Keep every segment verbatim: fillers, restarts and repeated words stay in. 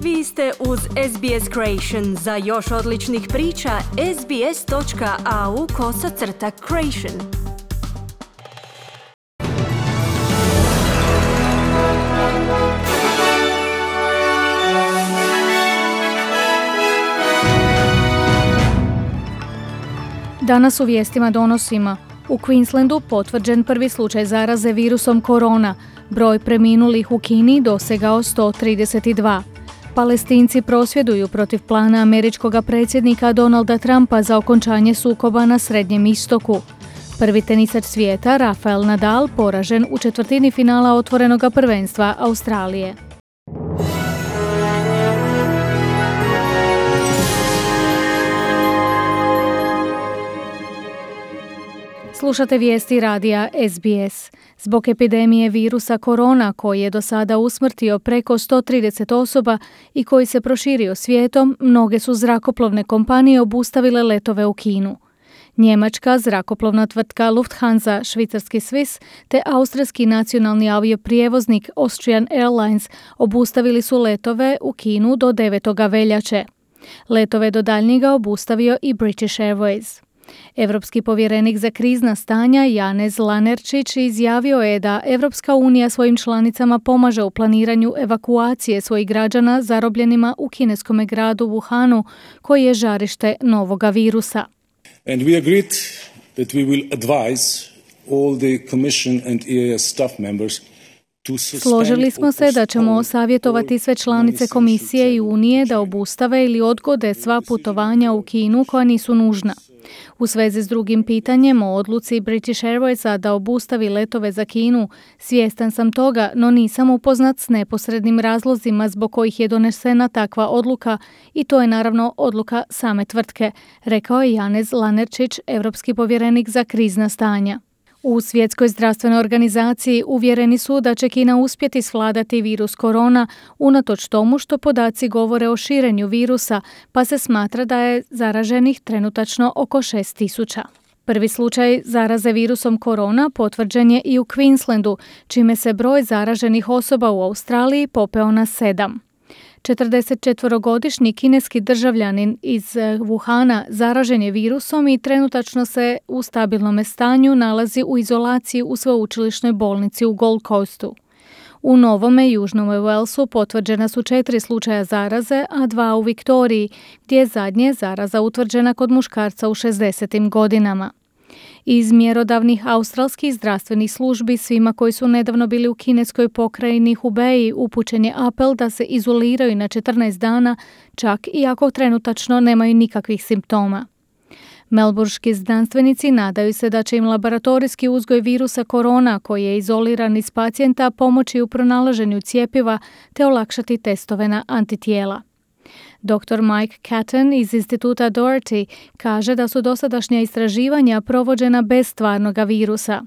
Vi ste uz S B S Creation. Za još odličnih priča, sbs.au kosacrta creation. Danas u vijestima donosimo: u Queenslandu potvrđen prvi slučaj zaraze virusom korona, broj preminulih u Kini dosegao sto trideset dva. Palestinci prosvjeduju protiv plana američkog predsjednika Donalda Trumpa za okončanje sukoba na Srednjem istoku. Prvi tenisač svijeta Rafael Nadal poražen u četvrtini finala otvorenog prvenstva Australije. Slušate vijesti radija S B S. Zbog epidemije virusa korona koji je do sada usmrtio preko sto trideset osoba i koji se proširio svijetom, mnoge su zrakoplovne kompanije obustavile letove u Kinu. Njemačka zrakoplovna tvrtka Lufthansa, švicarski Swiss te austrijski nacionalni avioprijevoznik Austrian Airlines obustavili su letove u Kinu do devetog veljače. Letove do daljnjega obustavio i British Airways. Europski povjerenik za krizna stanja Janez Lenarčič izjavio je da Europska unija svojim članicama pomaže u planiranju evakuacije svojih građana zarobljenima u kineskom gradu Wuhanu, koji je žarište novoga virusa. And we agreed that we will advise all the Commission and E A S staff members. Složili smo se da ćemo savjetovati sve članice Komisije i Unije da obustave ili odgode sva putovanja u Kinu koja nisu nužna. U svezi s drugim pitanjem o odluci British Airwaysa da obustavi letove za Kinu, svjestan sam toga, no nisam upoznat s neposrednim razlozima zbog kojih je donesena takva odluka i to je naravno odluka same tvrtke, rekao je Janez Lenarčič, europski povjerenik za krizna stanja. U Svjetskoj zdravstvenoj organizaciji uvjereni su da će Kina uspjeti svladati virus korona unatoč tomu što podaci govore o širenju virusa, pa se smatra da je zaraženih trenutačno oko šest tisuća. Prvi slučaj zaraze virusom korona potvrđen je i u Queenslandu, čime se broj zaraženih osoba u Australiji popeo na sedam. četrdesetčetvorogodišnji kineski državljanin iz Wuhana zaražen je virusom i trenutačno se u stabilnom stanju nalazi u izolaciji u sveučilišnoj bolnici u Gold Coastu. U Novome Južnom Walesu potvrđena su četiri slučaja zaraze, a dva u Viktoriji, gdje je zadnje zaraza utvrđena kod muškarca u šezdesetim godinama. Iz mjerodavnih australskih zdravstvenih službi svima koji su nedavno bili u kineskoj pokrajini Hubei upućen je apel da se izoliraju na četrnaest dana, čak i ako trenutačno nemaju nikakvih simptoma. Melburški znanstvenici nadaju se da će im laboratorijski uzgoj virusa korona koji je izoliran iz pacijenta pomoći u pronalaženju cjepiva te olakšati testove na antitijela. doktor Mike Catton iz instituta Doherty kaže da su dosadašnja istraživanja provođena bez stvarnoga virusa.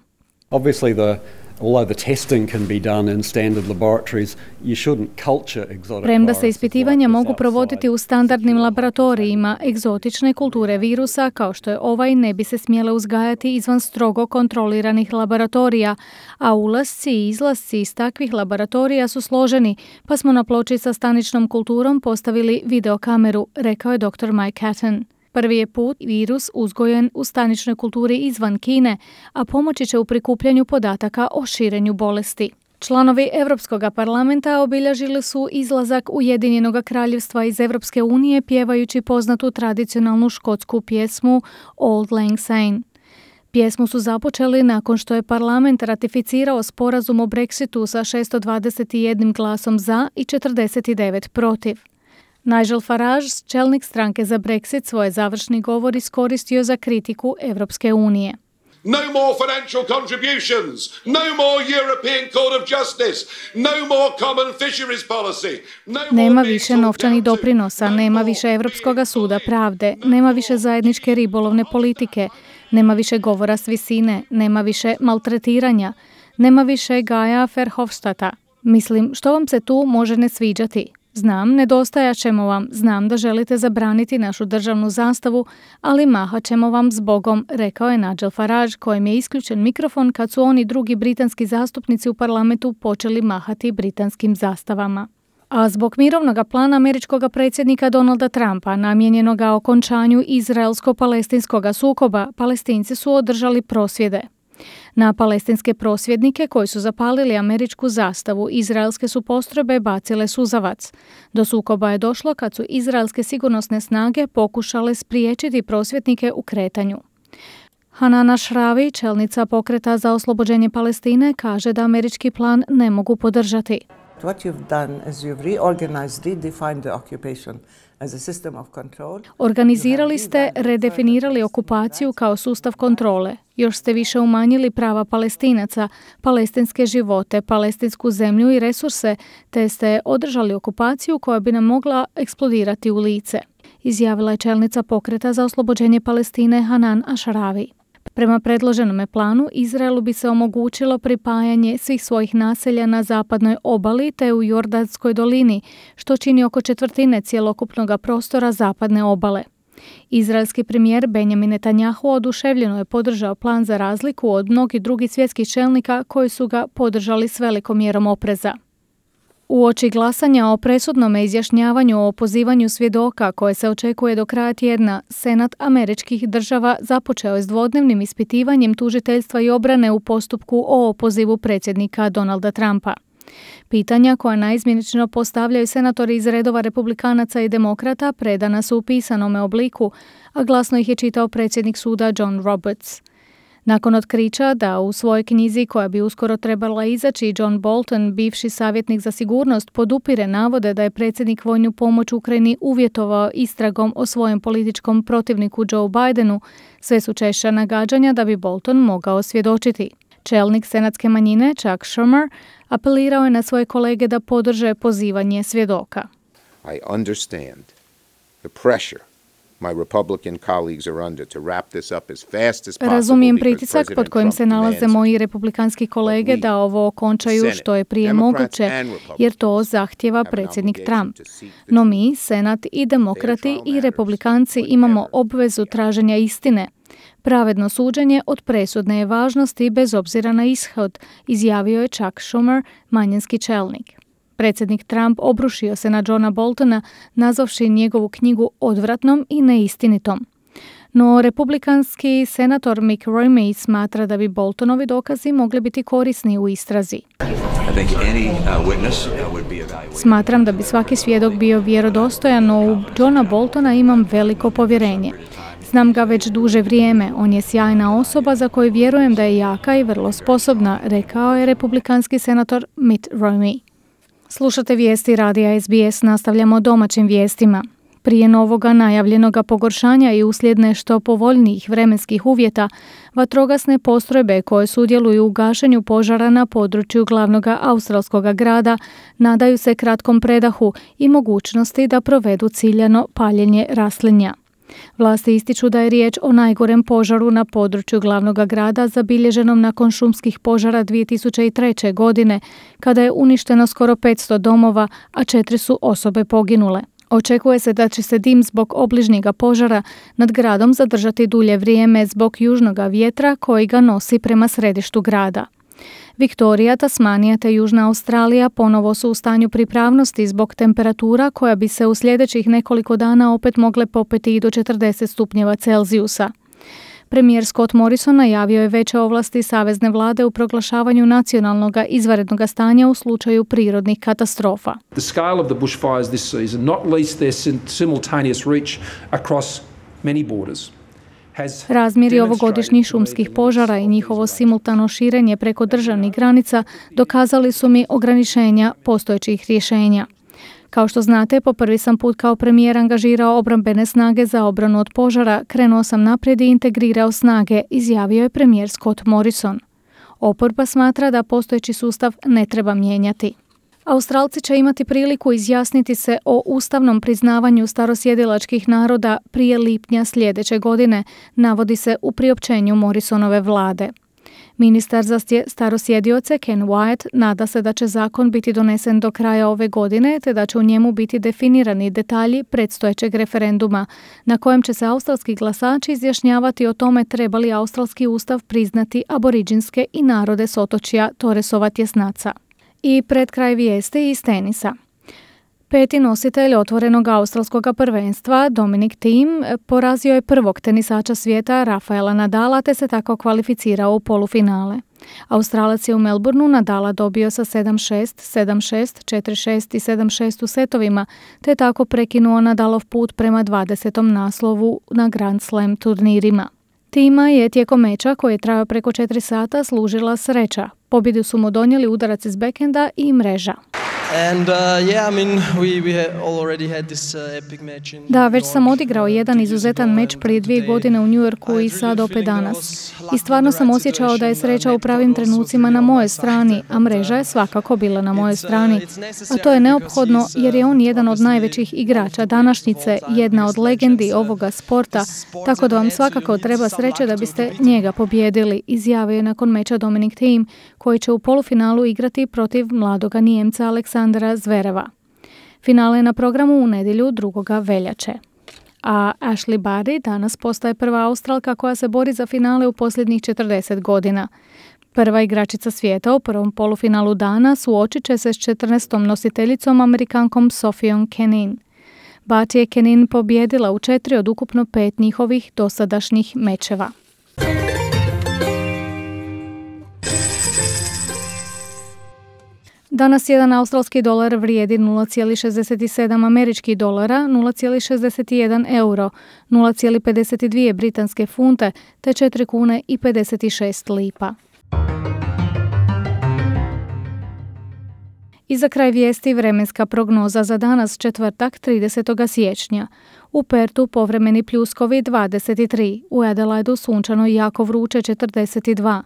Obviously the although the testing can be done in standard laboratories, you shouldn't culture exotic. Premda se ispitivanja mogu provoditi u standardnim laboratorijima, egzotične kulture virusa kao što je ovaj ne bi se smjele uzgajati izvan strogo kontroliranih laboratorija, a ulasci i izlasci iz takvih laboratorija su složeni, pa smo na ploči sa staničnom kulturom postavili videokameru, rekao je doktor Mike Catton. Prvi je put virus uzgojen u staničnoj kulturi izvan Kine, a pomoći će u prikupljanju podataka o širenju bolesti. Članovi Europskog parlamenta obilježili su izlazak Ujedinjenog kraljevstva iz Europske unije pjevajući poznatu tradicionalnu škotsku pjesmu Auld Lang Syne. Pjesmu su započeli nakon što je parlament ratificirao sporazum o Brexitu sa šesto dvadeset jedan glasom za i četrdeset devet protiv. Nigel Farage, čelnik stranke za Brexit, svoj završni govor iskoristio za kritiku Europske unije. No more financial contributions, no more European Court of Justice, no more common fisheries policy. No nema više novčanih doprinosa, nema više Europskoga suda pravde, nema više zajedničke ribolovne politike, nema više govora s visine, nema više maltretiranja, nema više Gaja Verhofstadta. Mislim, što vam se tu može ne sviđati? Znam, nedostajat ćemo vam, znam da želite zabraniti našu državnu zastavu, ali mahat ćemo vam zbogom, rekao je Nigel Farage, kojem je isključen mikrofon kad su oni drugi britanski zastupnici u parlamentu počeli mahati britanskim zastavama. A zbog mirovnog plana američkog predsjednika Donalda Trumpa namijenjenog okončanju izraelsko-palestinskog sukoba, Palestinci su održali prosvjede. Na palestinske prosvjednike koji su zapalili američku zastavu, izraelske su postrojbe bacile suzavac. Do sukoba je došlo kad su izraelske sigurnosne snage pokušale spriječiti prosvjednike u kretanju. Hanan Ashrawi, čelnica pokreta za oslobođenje Palestine, kaže da američki plan ne mogu podržati. What you've done is you've reorganized, redefined the occupation as a system of control. Organizirali ste, redefinirali okupaciju kao sustav kontrole. Još ste više umanjili prava Palestinaca, palestinske živote, palestinsku zemlju i resurse, te ste održali okupaciju koja bi nam mogla eksplodirati u lice, izjavila je čelnica pokreta za oslobođenje Palestine Hanan Ashrawi. Prema predloženome planu, Izraelu bi se omogućilo pripajanje svih svojih naselja na zapadnoj obali te u Jordanskoj dolini, što čini oko četvrtine cjelokupnog prostora zapadne obale. Izraelski premijer Benjamin Netanjahu oduševljeno je podržao plan za razliku od mnogih drugih svjetskih čelnika koji su ga podržali s velikom mjerom opreza. Uoči glasanja o presudnom izjašnjavanju o opozivanju svjedoka koje se očekuje do kraja tjedna, Senat američkih država započeo je s dvodnevnim ispitivanjem tužiteljstva i obrane u postupku o opozivu predsjednika Donalda Trumpa. Pitanja koja naizmjenično postavljaju senatori iz redova republikanaca i demokrata predana su u pisanome obliku, a glasno ih je čitao predsjednik suda John Roberts. Nakon otkrića da u svojoj knjizi koja bi uskoro trebala izaći, John Bolton, bivši savjetnik za sigurnost, podupire navode da je predsjednik vojnu pomoć Ukrajini uvjetovao istragom o svojem političkom protivniku Joe Bidenu, sve su češća nagađanja da bi Bolton mogao svjedočiti. Čelnik senatske manjine Chuck Schumer apelirao je na svoje kolege da podrže pozivanje svjedoka. I understand the pressure my Republican colleagues are under to wrap this up as fast as possible. Razumijem pritisak pod kojim se nalaze moji republikanski kolege da ovo okončaju što je prije moguće, jer to zahtjeva predsjednik Trump. No mi, Senat i demokrati i republikanci imamo obvezu traženja istine. Pravedno suđenje od presudne je važnosti bez obzira na ishod, izjavio je Chuck Schumer, manjinski čelnik. Predsjednik Trump obrušio se na Johna Boltona, nazvavši njegovu knjigu odvratnom i neistinitom. No republikanski senator Mitt Romney smatra da bi Boltonovi dokazi mogli biti korisni u istrazi. Smatram da bi svaki svjedok bio vjerodostojan, no u Johna Boltona imam veliko povjerenje. Znam ga već duže vrijeme, on je sjajna osoba za koju vjerujem da je jaka i vrlo sposobna, rekao je republikanski senator Mitt Romney. Slušate vijesti radija S B S, nastavljamo domaćim vijestima. Prije novoga najavljenog pogoršanja i uslijed nešto povoljnijih vremenskih uvjeta, vatrogasne postrojbe koje sudjeluju u gašenju požara na području glavnog australskog grada nadaju se kratkom predahu i mogućnosti da provedu ciljano paljenje raslinja. Vlasti ističu da je riječ o najgorem požaru na području glavnog grada zabilježenom nakon šumskih požara dvije tisuće treće. godine, kada je uništeno skoro petsto domova, a četiri su osobe poginule. Očekuje se da će se dim zbog obližnjega požara nad gradom zadržati dulje vrijeme zbog južnog vjetra koji ga nosi prema središtu grada. Viktorija, Tasmanija te Južna Australija ponovo su u stanju pripravnosti zbog temperatura koja bi se u sljedećih nekoliko dana opet mogle popeti i do četrdeset stupnjeva Celzijusa. Premijer Scott Morrison najavio je veće ovlasti savezne vlade u proglašavanju nacionalnog izvanrednog stanja u slučaju prirodnih katastrofa. The scale of the bushfires this season, not least their simultaneous reach across many borders. Razmjeri ovogodišnjih šumskih požara i njihovo simultano širenje preko državnih granica dokazali su mi ograničenja postojećih rješenja. Kao što znate, po prvi sam put kao premijer angažirao obrambene snage za obranu od požara, krenuo sam naprijed i integrirao snage, izjavio je premijer Scott Morrison. Oporba smatra da postojeći sustav ne treba mijenjati. Australci će imati priliku izjasniti se o ustavnom priznavanju starosjedilačkih naroda prije lipnja sljedeće godine, navodi se u priopćenju Morrisonove vlade. Ministar za starosjedioce Ken Wyatt nada se da će zakon biti donesen do kraja ove godine, te da će u njemu biti definirani detalji predstojećeg referenduma, na kojem će se australski glasači izjašnjavati o tome treba li australski ustav priznati aboriđinske i narode s otočja Torresova tjesnaca. I pred kraj vijesti iz tenisa. Peti nositelj otvorenog australskog prvenstva, Dominic Thiem, porazio je prvog tenisača svijeta Rafaela Nadala te se tako kvalificirao u polufinale. Australac je u Melbourneu Nadala dobio sa sedam šest, sedam šest, četiri šest i sedam šest u setovima, te tako prekinuo Nadalov put prema dvadesetom naslovu na Grand Slam turnirima. Thiema je tijekom meča koji je trajao preko četiri sata služila sreća. Pobjedu su mu donijeli udarac iz bekenda i mreža. And, uh, yeah, I mean, we, we already had this, uh, epic match in Da, već sam odigrao jedan izuzetan meč prije dvije godine u New Yorku i sad opet danas. I stvarno sam osjećao da je sreća u pravim trenucima na mojoj strani, a mreža je svakako bila na mojoj strani. A to je neophodno jer je on jedan od najvećih igrača današnjice, jedna od legendi ovoga sporta, tako da vam svakako treba sreće da biste njega pobijedili, izjavio je nakon meča Dominic Thiem, koji će u polufinalu igrati protiv mladoga Nijemca Aleksandra Zvereva. Finale je na programu u nedjelju drugoga veljače. A Ashley Barty danas postaje prva Australka koja se bori za finale u posljednjih četrdeset godina. Prva igračica svijeta u prvom polufinalu dana suočit će se s četrnaestom nositeljicom Amerikankom Sophie Kenin. Barty je Kenin pobijedila u četiri od ukupno pet njihovih dosadašnjih mečeva. Danas jedan australski dolar vrijedi nula zarez šezdeset sedam američkih dolara, nula zarez šezdeset jedan euro, nula zarez pedeset dvije britanske funte te četiri kune i pedeset šest lipa. I za kraj vijesti vremenska prognoza za danas četvrtak tridesetog siječnja. U Pertu povremeni pljuskovi dvadeset tri, u Adelaidu sunčano i jako vruće četrdeset dva.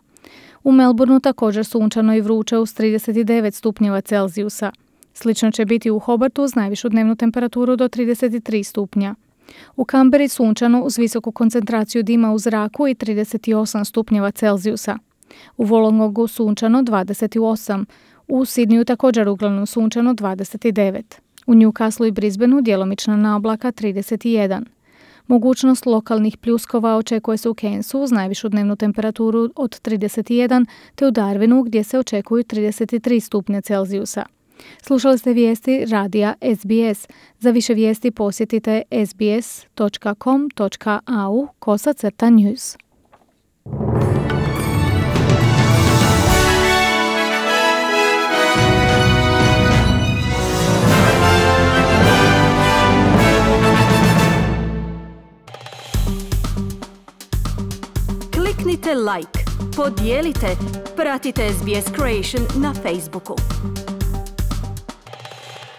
U Melbourneu također sunčano i vruće uz trideset devet stupnjeva Celzijusa. Slično će biti u Hobartu uz najvišu dnevnu temperaturu do trideset tri stupnja. U Canberri sunčano uz visoku koncentraciju dima u zraku i trideset osam stupnjeva Celzijusa. U Wollongongu sunčano dvadeset osam, u Sydneyu također uglavnom sunčano dvadeset devet. U Newcastlu i Brisbaneu djelomična naoblaka trideset jedan. Mogućnost lokalnih pljuskova očekuje se u Cairnsu uz najvišu dnevnu temperaturu od trideset jedan, te u Darwinu gdje se očekuju trideset tri stupnja Celzijusa. Slušali ste vijesti radija S B S. Za više vijesti posjetite sbs točka com točka a u kosacrta news. Kliknite like, podijelite, pratite S B S Creation na Facebooku.